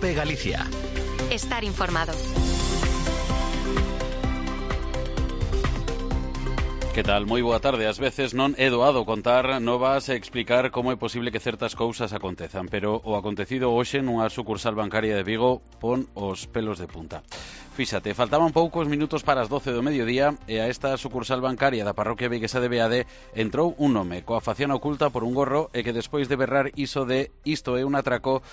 COPE Galicia. Estar informado. Que tal? Moi boa tarde. Ás veces non é doado contar novas e explicar como é posible que certas cousas acontezan, pero o acontecido hoxe nunha sucursal bancaria de Vigo pon os pelos de punta. Fíxate, faltaban poucos minutos para as 12 do mediodía e a esta sucursal bancaria da parroquia viguesa de Beade entrou un home coa facción oculta por un gorro e que despois de berrar iso de "isto é un atraco",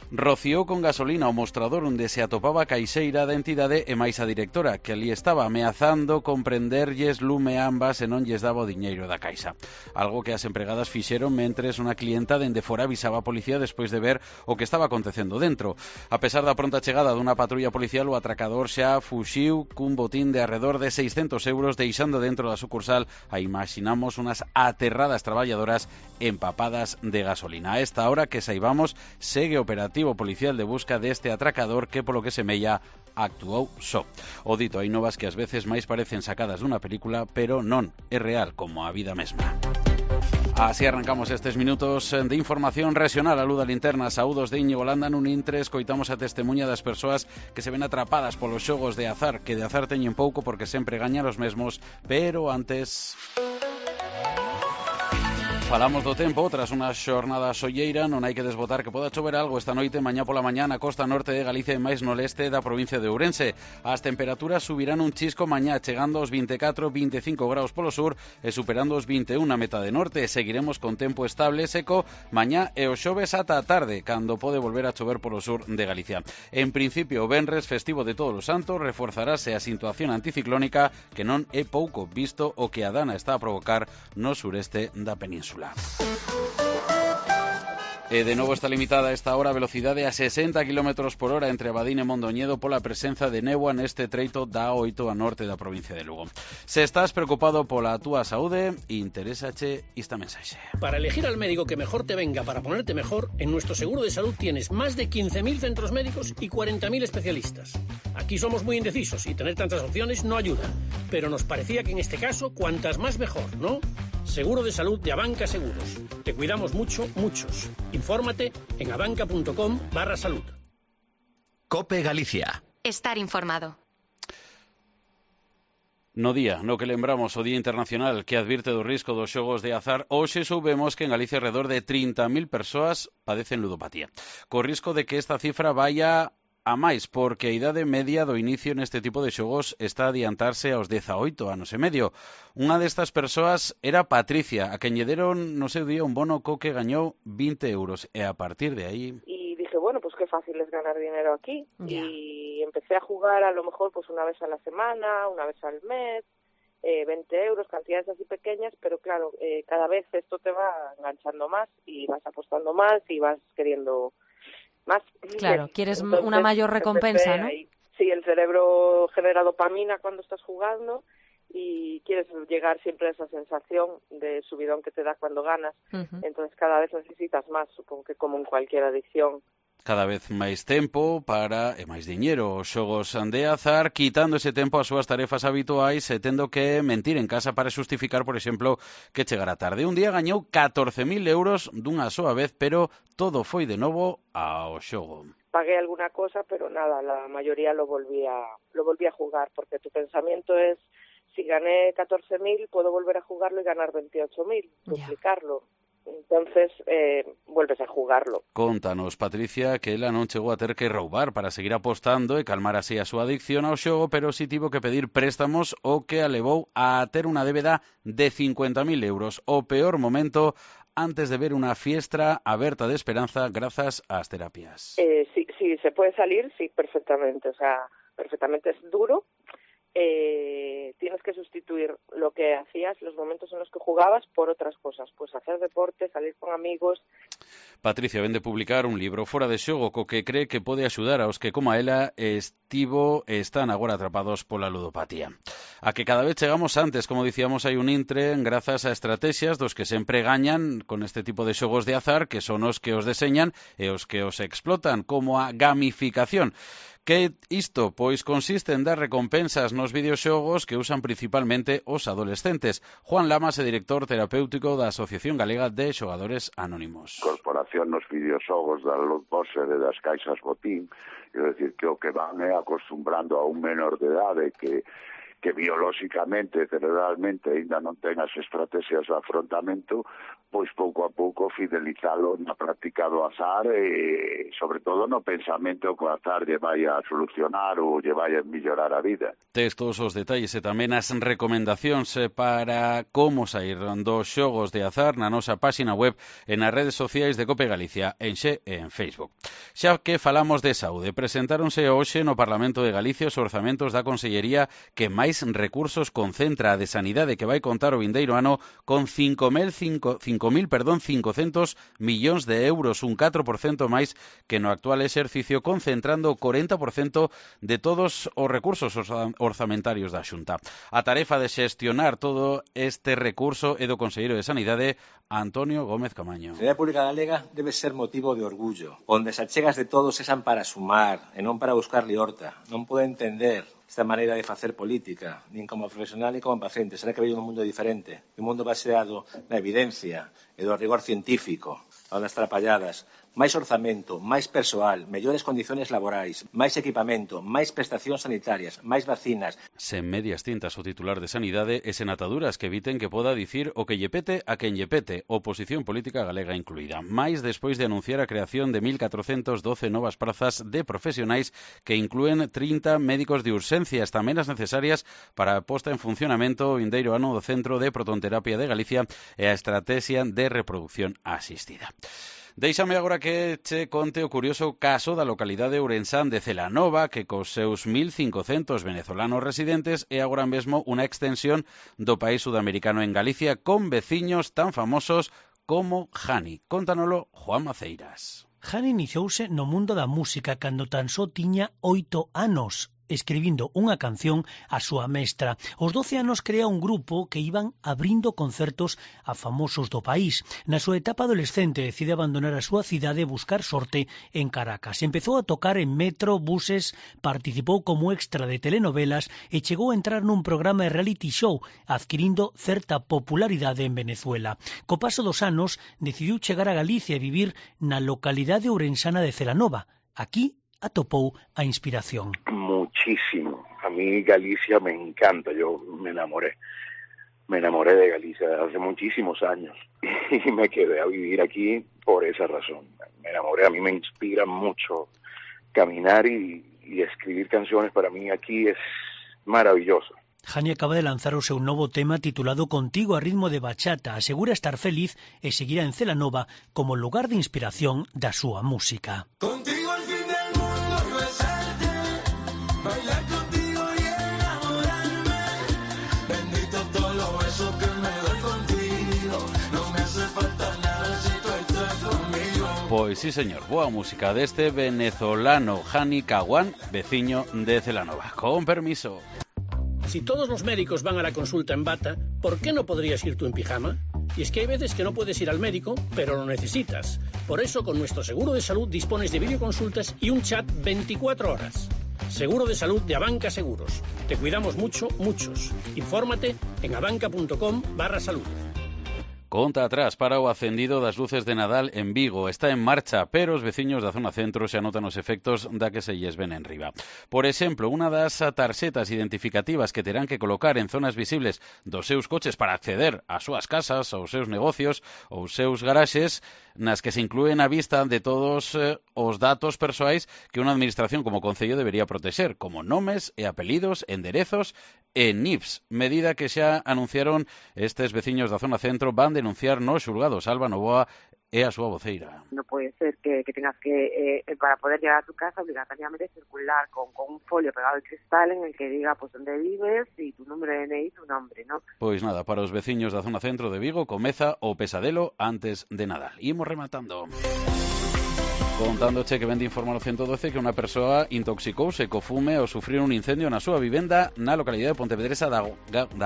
rociou con gasolina o mostrador onde se atopaba a caixeira da entidade e máis a directora, que ali estaba ameazando con prenderlles lume a ambas e non lles daba o diñeiro da caixa. Algo que as empregadas fixeron mentres unha clienta dende fora avisaba a policía despois de ver o que estaba acontecendo dentro. A pesar da pronta chegada dunha patrulla policial, o atracador xa fuxiu cun botín de arredor de 600 euros, deixando dentro da sucursal a imaginamos unas aterradas traballadoras empapadas de gasolina. A esta hora que saibamos segue operativo policial de busca deste atracador que, polo que semella, actuou só. O dito, hai novas que ás veces máis parecen sacadas dunha película, pero non, é real como a vida mesma. Así arrancamos estes minutos de información regional. A luz da linterna, saúdos de Íñigo Landa. Nun intre escoitamos a testemunha das persoas que se ven atrapadas polos xogos de azar, que de azar teñen pouco porque sempre gañan os mesmos, pero antes... Falamos do tempo. Tras unha xornada solleira non hai que desbotar que poda chover algo esta noite, mañá pola mañá na costa norte de Galicia e máis no leste da provincia de Ourense. As temperaturas subirán un chisco mañá, chegando aos 24-25 graus polo sur e superando os 21 na metade norte. Seguiremos con tempo estable e seco mañá e o xoves ata a tarde, cando pode volver a chover polo sur de Galicia. En principio, o venres, festivo de Todos os Santos, reforzarase a situación anticiclónica, que non é pouco visto o que a dana está a provocar no sureste da península. E de novo está limitada a esta hora a velocidade a 60 km por hora entre Abadín e Mondoñedo pola presenza de néboa neste treito da A8 a norte da provincia de Lugo. Se estás preocupado pola túa saúde, interésache esta mensaxe. Para elegir al médico que mejor te venga para ponerte mejor, en nuestro seguro de salud tienes más de 15.000 centros médicos y 40.000 especialistas. Aquí somos muy indecisos y tener tantas opciones no ayuda, pero nos parecía que en este caso cuantas más mejor, ¿no? Seguro de salud de Abanca Seguros. Te cuidamos mucho, muchos. Infórmate en abanca.com/salud. COPE Galicia. Estar informado. No día no que lembramos o Día Internacional que advirte do risco dos xogos de azar, hoxe soubemos que en Galicia alrededor de 30.000 persoas padecen ludopatía. Co risco de que esta cifra vaya a máis, porque a idade media do inicio neste tipo de xogos está a adiantarse aos 18 anos e medio. Unha destas persoas era Patricia, a quen lle deron no seu día un bono co que gañou 20 euros, e a partir de aí... Y dije, bueno, pues qué fácil es ganar dinero aquí. Yeah. Y empecé a jugar a lo mejor pues una vez a la semana, una vez al mes, 20 euros, cantidades así pequeñas, pero claro, cada vez esto te va enganchando más y vas apostando más y vas queriendo... más. Claro, quieres entonces, una mayor recompensa, ¿no? Ahí. Sí, el cerebro genera dopamina cuando estás jugando y quieres llegar siempre a esa sensación de subidón que te da cuando ganas. Uh-huh. Entonces cada vez necesitas más, supongo que como en cualquier adicción. Cada vez máis tempo para e máis diñeiro. Os xogos de azar, quitando ese tempo ás súas tarefas habituais e tendo que mentir en casa para xustificar, por exemplo, que chegara tarde. Un día gañou 14.000 euros dunha soa vez, pero todo foi de novo ao xogo. Pagué alguna cosa, pero nada, la mayoría lo volví a jugar, porque tu pensamiento es, si gané 14.000, puedo volver a jugarlo y ganar 28.000, duplicarlo. Entonces, vuelves a jugarlo. Contanos, Patricia, que ela non chegou a ter que roubar para seguir apostando e calmar así a súa adicción ao xogo, pero si tivo que pedir préstamos, o que a levou a ter unha débeda de 50.000 euros. O peor momento antes de ver unha fiestra aberta de esperanza grazas ás terapias. Sí, se puede salir, sí, perfectamente. O sea, perfectamente es duro. Tienes que sustituir lo que hacías, los momentos en los que jugabas, por otras cosas. Pues hacer deporte, salir con amigos. Patricia ven de publicar un libro fora de xogo co que cree que pode axudar aos que, como a ela, están agora atrapados pola ludopatía. A que cada vez chegamos antes, como dicíamos, hai un intre grazas a estrategias dos que sempre gañan con este tipo de xogos de azar, que son os que os deseñan e os que os explotan, como a gamificación, Que isto? Pois consiste en dar recompensas nos videoxogos que usan principalmente os adolescentes. Juan Lamas é director terapéutico da Asociación Galega de Xogadores Anónimos. Incorporación nos videoxogos da lootboxer e das caixas botín, é dicir, que o que van é acostumbrando a un menor de idade que biolóxicamente, cerebralmente, ainda non ten as estrategias de afrontamento, pois pouco a pouco fidelizalo na práctica do azar e, sobre todo, no pensamento que o azar lle vai a solucionar ou lle vai a mellorar a vida. Tes todos os detalles e tamén as recomendacións para como sair dos xogos de azar na nosa páxina web e nas redes sociais de Cope Galicia, en Xe e en Facebook. Xa que falamos de saúde, presentáronse hoxe no Parlamento de Galicia os orzamentos da Consellería que máis recursos concentra a de Sanidade, que vai contar o vindeiro ano con 5.500 millóns de euros, un 4% máis que no actual exercicio, concentrando o 40% de todos os recursos orzamentarios da Xunta. A tarefa de xestionar todo este recurso é do Conselleiro de Sanidade, Antonio Gómez Camaño. A Sanidade Pública Galega debe ser motivo de orgullo, onde as achegas de todos sean para sumar e non para buscar liorta. Non pode entender esta maneira de facer política, nin como profesional nin como paciente. Será que veio un mundo diferente, un mundo baseado na evidencia e do rigor científico, a das trapalladas, máis orzamento, máis persoal, mellores condiciones laborais, máis equipamento, máis prestacións sanitarias, máis vacinas. Sen medias tintas o titular de Sanidade e sen ataduras que eviten que poda dicir o que lle pete a quen lle pete, oposición política galega incluída. Mais despois de anunciar a creación de 1.412 novas prazas de profesionais que inclúen 30 médicos de urxencias, tamén as necesarias para a posta en funcionamento o vindeiro ano do Centro de Protonterapia de Galicia e a Estrategia de Reproducción Asistida. Deixame agora que che conte o curioso caso da localidade ourensán de Celanova, que cos seus 1.500 venezolanos residentes é agora mesmo unha extensión do país sudamericano en Galicia, con veciños tan famosos como Jani. Contanolo Juan Maceiras. Jani iniciouse no mundo da música cando tan só tiña 8 anos, escribindo unha canción a súa mestra. Aos 12 anos crea un grupo que iban abrindo concertos a famosos do país. Na súa etapa adolescente decide abandonar a súa cidade e buscar sorte en Caracas. Empezou a tocar en metro, buses, participou como extra de telenovelas e chegou a entrar nun programa de reality show, adquirindo certa popularidade en Venezuela. Co paso dos anos, decidiu chegar a Galicia e vivir na localidade ourensana de Celanova. Aquí atopou a inspiración. Muchísimo. A mí Galicia me encanta. Yo me enamoré de Galicia hace muchísimos años y me quedé a vivir aquí por esa razón. Me enamoré. A mí me inspira mucho caminar y escribir canciones. Para mí aquí es maravilloso. Jani acaba de lanzar o seu novo tema titulado Contigo a ritmo de bachata. Asegura estar feliz e seguirá en Celanova como lugar de inspiración da súa música. Contigo al fin del mundo y besarte, bailar contigo y enamorarme. Bendito todos los besos que me doy contigo. No me hace falta nada si tú estás conmigo. Pois sí, señor, boa música deste venezolano Jani Caguán, veciño de Celanova. Con permiso. Si todos los médicos van a la consulta en bata, ¿por qué no podrías ir tú en pijama? Y es que hay veces que no puedes ir al médico, pero lo necesitas. Por eso, con nuestro seguro de salud dispones de videoconsultas y un chat 24 horas. Seguro de salud de Abanca Seguros. Te cuidamos mucho, muchos. Infórmate en abanca.com/salud. Conta atrás para o acendido das luces de Nadal en Vigo. Está en marcha, pero os veciños da zona centro xa notan os efectos da que se lles ven en riba. Por exemplo, unha das tarxetas identificativas que terán que colocar en zonas visibles dos seus coches para acceder ás súas casas, aos seus negocios ou seus garaxes, nas que se inclúen a vista de todos os datos persoais que unha administración como o Concello debería protexer, como nomes e apelidos, enderezos e NIFs, medida que xa anunciaron estes veciños da zona centro van denunciar nos xulgados. Alba Novoa é a súa voceira. No puede ser que tengas que, para poder llegar a tu casa, obligatoriamente circular con un folio pegado al cristal en el que diga pues dónde vives y tu número de DNI y tu nombre, ¿no? Pois nada, para os veciños da zona centro de Vigo comeza o pesadelo antes de Nadal. Imos rematando. Contándoche que vende informar ao 112 que unha persoa intoxicouse co fume ao sufrir un incendio na súa vivenda na localidade de Pontevedresa da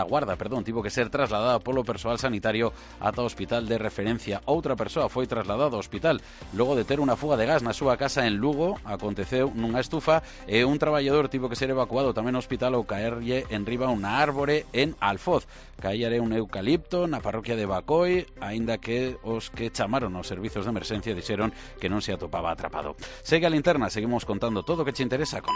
Guarda, tivo que ser trasladada polo persoal sanitario ata o hospital de referencia. Outra persoa foi trasladada ao hospital logo de ter unha fuga de gas na súa casa en Lugo. Aconteceu nunha estufa e un traballador tivo que ser evacuado tamén ao hospital ao caerlle en riba unha árbore en Alfoz. Caíare un eucalipto na parroquia de Bacoi, aínda que os que chamaron aos servizos de emerxencia dixeron que non se atopaba atrapado. Segue a linterna, seguimos contando todo o que che interesa con